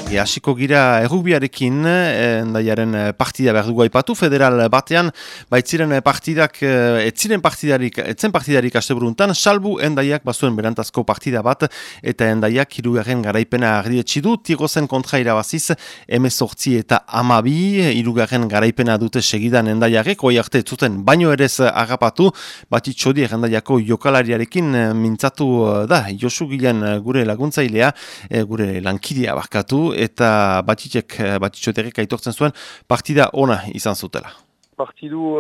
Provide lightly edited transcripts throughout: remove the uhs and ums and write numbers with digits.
Hasiko gira errugbiarekin, endaiaren partida behar dugu aipatu, federal batean, baitziren partidak, etzen partidarik asteburuntan, salbu endaiak bazuen berantazko partida bat, eta endaiak 3. garaipena ardietsi du, Tigozen kontra irabaziz, 18 eta 12, 3. garaipena dute segidan endaiarek, hoi arte zuten baino erez agapatu, batitxodi endaiako jokalariarekin mintzatu da, Josu Gilan gure laguntzailea, gure lankidea barkatu, eta batitxoterek aitortzen zuen partida ona izan zutela. Partidu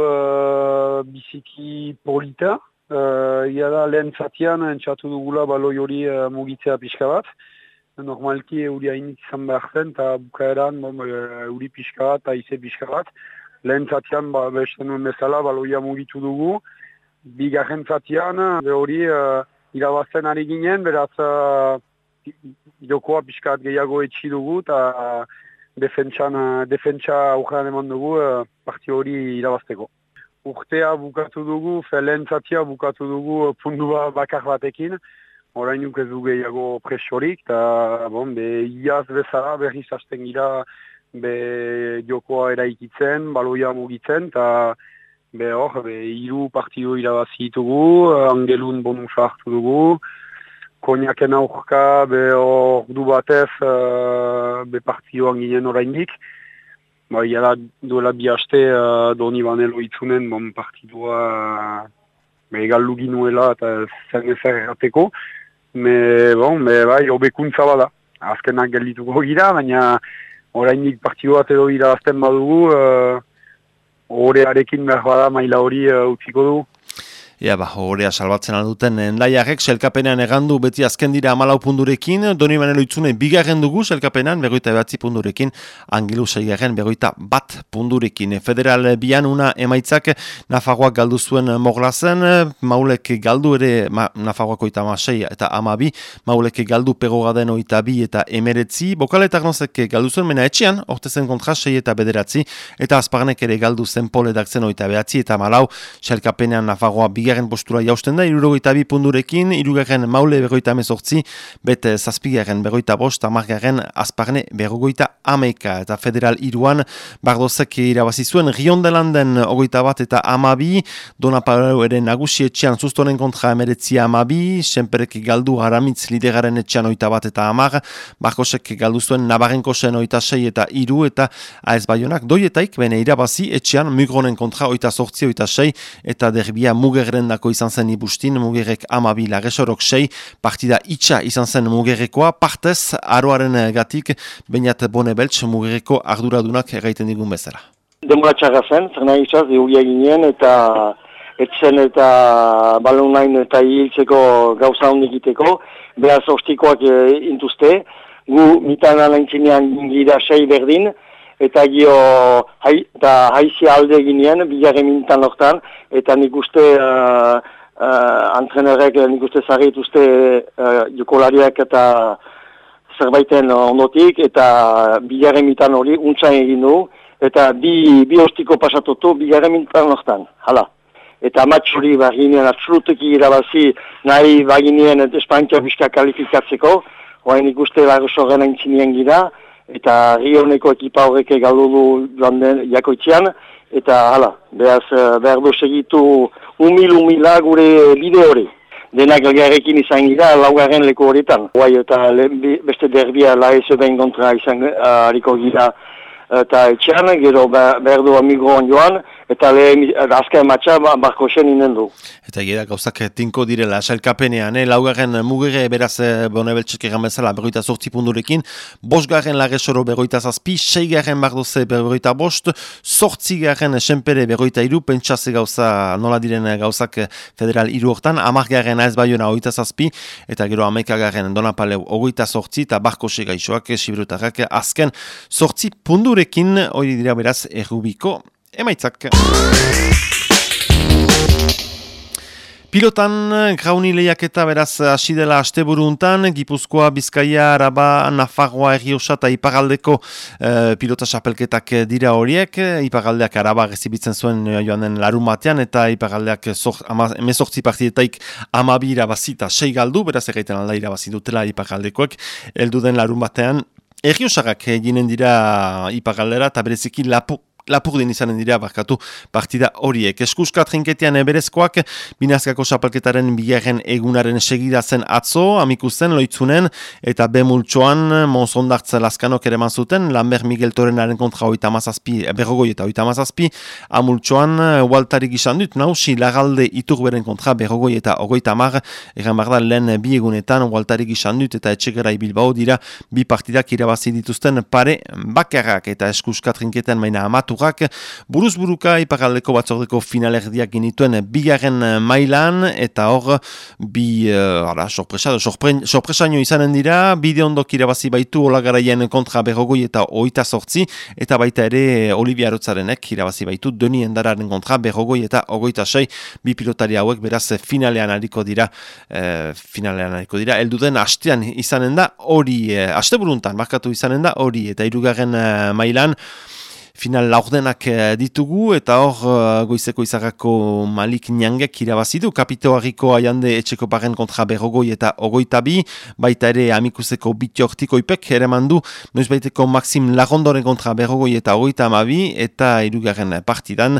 biziki polita, iada lehen zatian entxatu dugula baloi hori mugitzea pixka bat. Normalki euri hainik izan behar zen, eta bukaeran euri pixka bat, aize pixka bat. Lehen zatian beste nuen bezala baloia mugitu dugu. Bigarren zatian hori irabazten ari ginen, beraz jokoa pixkat gehiago etxi dugu eta defentsa aurrean eman dugu parti hori irabazteko. Urtea bukatu dugu, lehen zatia bukatu dugu pundua bakar batekin, orainuk ez du gehiago presiorik, eta iaz bezala berriz hasten gira jokoa eraikitzen, baloia mugitzen, eta hiru partidu irabazi ditugu, Angelun bonusa hartu dugu, Koniaken aurka ordu batez partioan ginen oraindik. Iala duela bi haste Doni Banelo itzunen partidua egaldu ginuela eta zen ezer errateko. Hobekuntza bada. Azkenak geldituko gira, baina oraindik partidu bat edo irabazten badugu, horearekin behar bada maila hori utziko dugu. Horea salbatzen alduten endaiarek, selkapenean egandu beti azken dira 14 pundurekin, Doni Banelo itzune bigarren dugu selkapenean, 29 pundurekin, Angelu 6. 21 pundurekin. Federal bian una emaitzak Nafarroak galdu zuen Moglazen, Maulek galdu ere Nafarroako 16 eta 12, Maulek galdu Pegogaden 22 eta 19, Bokaletak nozek galdu zuen mena etxean, Ortezen kontra 6 eta 9, eta Azparnek ere galdu zen Poledak zen 29 eta 14, selkapenean Nafarroa bigarren postura jausten da, 62 pundurekin, 3. Maule 58, bete 7. 55, 10. Azparne 51, eta federal 3an Bardozek irabazi zuen Riondelanden 21 eta 12, Donapaleu ere nagusi etxean Sustonen kontra 19 12, Senperek galdu Aramitz lideraren etxean 21 eta 10, Barkosek galdu zuen Nabarrenkosen 26 eta 3, eta AS Baionak doietaik bene irabazi etxean Mugronen kontra 28, 26, eta derbia Mugerrendako izan zen ibustin, Mugerrek 12, Lagesorok 6, partida itxa izan zen Mugerrekoa, partez, aroaren gatik, Beñat Bonebeltz Mugerreko arduradunak erraiten digun bezala. Denbora txarra zen, zer nahi izaz, euria ginen, eta etzen eta balonain eta hiltzeko gauza hondik iteko, behaz ostikoak intuzte, gu mitan alaintzinean gira 6 berdin, eta haizia alde ginean, bigarren mintan hortan, eta nik uste antrenerek nik uste zarrituzte jokolariak eta zerbaiten ondotik, eta bigarren mintan hori untzain egin du, eta bi ostiko pasatotu bigarren mintan hortan, hala. Eta matx hori baginean absoluteki irabazi nahi baginean Espainiak bizka kalifikatzeko, hoa nik uste Lagesorren aintzinean gira, eta Rioneko ekipa horrek galdu du joan den jakoitzean, eta hala, behar du segitu humila gure bide hori. Denak elgarrekin izan gira, 4. leku horietan. Eta beste derbia laezeben kontra izan hariko gira eta etxean, gero behar du Migroan joan, eta azken matxa Barkosen inen du. Eta gira gauzak tinko direla, sailkapenean, 4. Mugere beraz Bonebeltzek egan bezala 28 pundurekin, 5. Lagesoro 27, 6. Bardoze 25, 8. Senpere 23, pentsaze gauza nola diren gauzak federal 3 hortan, 10. AS Baiona 27, eta gero 11. Donapaleu 28, eta Barkose gaixoak, Sibirutarrak, azken 8 pundurekin, hori dira beraz errubiko emaitzak. Pilotan, grauni lehiaketa beraz hasi dela asteburuntan, Gipuzkoa, Bizkaia, Araba, Nafarroa, Errioxa eta Iparraldeko pilota xapelketak dira horiek. Iparraldeak Araba gezibitzen zuen joan den larun batean, eta Iparraldeak 18 partidetaik 12 irabazi eta 6 galdu, beraz egiten alda irabazi dutela Iparraldekoek, heldu den larun batean, Erriosagak ginen dira ipagaldera eta bereziki Lapurdin izanen dira barkatu partida horiek. Eskuska trinketean berezkoak Binazkako Xapelketaren bigarren egunaren segida zen atzo, amikuzen, loitzunen, eta bemultxoan Monsondartz Laskanok ere zuten, Lambert Miguel Torenaren kontra berrogoi eta 37, amultxoan Waltarik izan dut, nausi Lagalde Iturberen kontra berrogoi eta 30, egan barda lehen bi egunetan Waltarik izan dut eta Etxegarai Bilbao dira bi partidak irabazi dituzten pare bakarrak, eta eskuska trinketean maina amatu buruz-buruka ipagaldeko batzordeko finalerdiak ginituen bigarren mailan, eta hor sorpresaino izanen dira, bide ondok irabazi baitu Olagaraien kontra berrogoi eta 28, eta baita ere Olivia Arotzarenek irabazi baitu Doni Endararen kontra berrogoi eta 26, bi pilotari hauek beraz finalean hariko dira, elduden hastean izanen da hori, hasteburuntan markatu izanen da hori, eta hirugarren mailan final laurdenak ditugu, eta hor goizeko izarrako Malik Niangek irabazidu, Kapitoariko Aiande Etxekoparen kontra berrogoi eta 22, baita ere amikuseko Bitiortiko ipek ere mandu, noiz baiteko Maxim Lagondoren kontra berrogoi eta 32, eta hirugarren partidan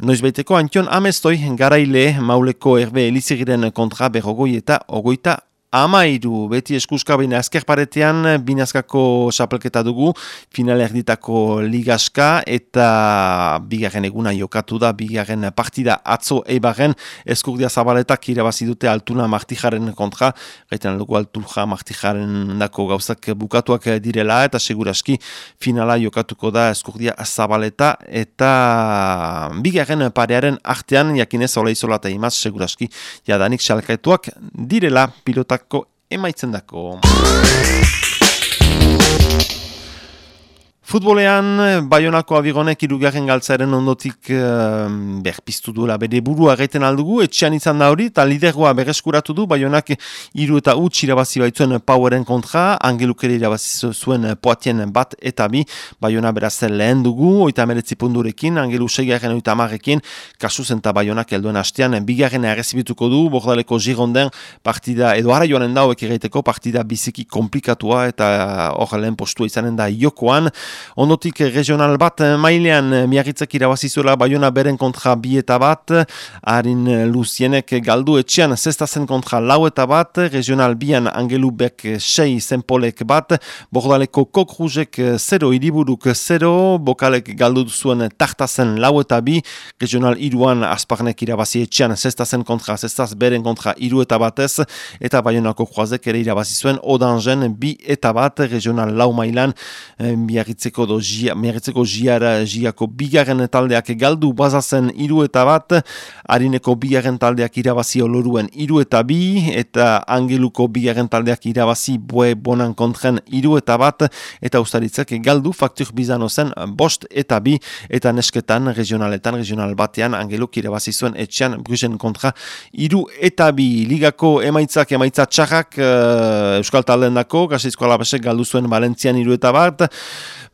noiz baiteko Antion Amestoi Garaile Mauleko Herbe Elizigiren kontra berrogoi eta 22. Amairu, beti eskuska baina azkerparetean Binazkako Xapelketa dugu, final erditako ligaska, eta bigarren eguna jokatu da, bigarren partida atzo Eibarren, Eskurdia Zabaletak irabazi dute Altuna Martijaren kontra, gaiten dugu Altuna Martijaren dako gauzak bukatuak direla, eta seguraski finala jokatuko da Eskurdia Zabaleta, eta bigarren parearen artean, jakinez Ola Izola eta Imaz, seguraski jadanik xalkaituak direla pilotak emaitzen dako. Futbolean, Baionako Abigonek hirugarren galtzaren ondotik berpiztu duela bere burua gaiten aldugu, etxean izan da hori, eta lidergoa berreskuratu du, Baionak 3 eta 0 irabazi baitzuen Poweren kontra, Angeluk ere irabazi zuen Poatien 1 eta 2, Baiona beraz lehen dugu, 39 punturekin, Angelu 6garren 30rekin, kasuz eta Baionak helduen hastean, bigarren errezibituko du, Bordaleko Gironden partida, edo ara joanen da hauek egiteko partida biziki komplikatua, eta hor lehen postua izanen da jokoan. Ondotik regional bat mailean Miarritzek irabazizuela Baiona beren kontra 2 eta 1, Arin Luzienek galdu etxean zestazen kontra 4 eta 1, regional bian Angelubek 6 Zenpolek 1, Bordaleko Kokruzek 0, Iriburuk 0, Bokalek galdu zuen Tartazen 4 eta 2, regional 3an Asparnek irabazi etxean zestazen kontra zestaz beren kontra 3 eta 1, eta Baionako Kroazek ere irabazizuen Odangen 2 eta 1, regional 4 mailan Miarritzeko Giako bigarren taldeak galdu bazazen 3 eta 1, Arineko bigarren taldeak irabazi Oloruen 3 eta 2, eta Angeluko bigarren taldeak irabazi Boe Bonan kontren 3 eta 1, eta Ustaritzek galdu Faktur Bizano zen 5 eta 2, eta nesketan regional batean Angeluk irabazi zuen etxean Brusen kontra 3 eta 2. Ligako emaitza txarrak Euskal Taldeen dako, Gasteizko Alabesek galdu zuen Valentzian 3 eta 1,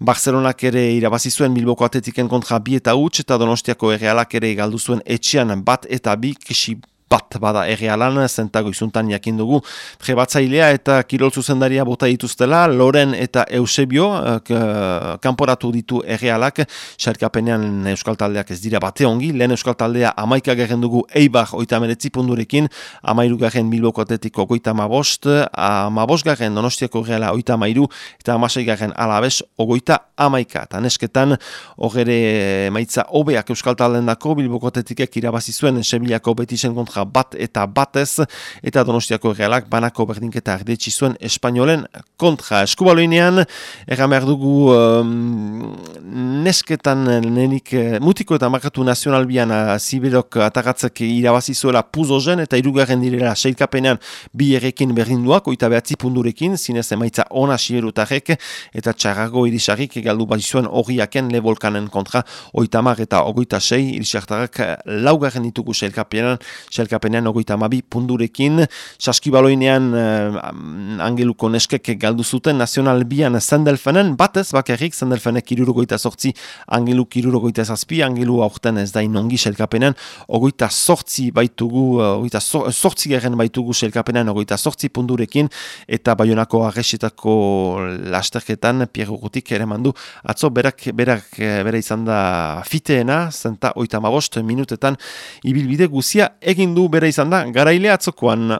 Barcelonak ere irabazi zuen Bilboko Atletiken kontra 2 eta 0, eta Donostiako Errealak ere galdu zuen etxean 1 eta 2, kisi bat bada Errealan, zentago izuntan jakin dugu trebatzailea eta kirol zuzendaria bota dituztela, Loren eta Eusebio kanporatu ditu Errealak, xarkapenean Euskal Taldeak ez dira bate ongi, lehen Euskal Taldea 11 garren dugu Eibar 39 punturekin, 13 garren Bilboko Atletiko 55, 15 garren Donostiako Erreala 33, eta 16 garren Alabes 31, eta nesketan horre maitza hobeak Euskal Taldeen dako, Bilboko Atletikek irabazi zuen Sevillako Betisen kontra 1 eta 1, eta Donostiako Errealak banako berdinketa erdetsi zuen Espainolen kontra. Eskubaloinean, erran behar dugu nesketan nenik mutiko eta markatu nazionalbian Zibirok atagatzek irabazi zuela Puzozen, eta 3. direla seilkapenean 2 errekin berdinduak, 29 punturekin, zinez emaitza ona Siberutarek, eta txarrago irisarrik galdu bazizuen horiaken Levolkanen kontra 30 eta 26, irisartarrak 4. ditugu seilkapenean sailkapenean 32 pundurekin, saskibaloinean Angeluko neskek galdu zuten Nazional Bian Zendelfenen, batez bakarrik Zendelfenek 78, Angeluk 77, Angelu aurten ez da inongi sailkapenean, 28 baitugu, 28 garen baitugu sailkapenean 28 pundurekin, eta Baionako Arresetako lasterketan Pierre Urrutik ere mandu, atzo bere izan da fiteena, zenta 35 minutetan ibilbide guzia egin du bere izan da garaile atzokoan.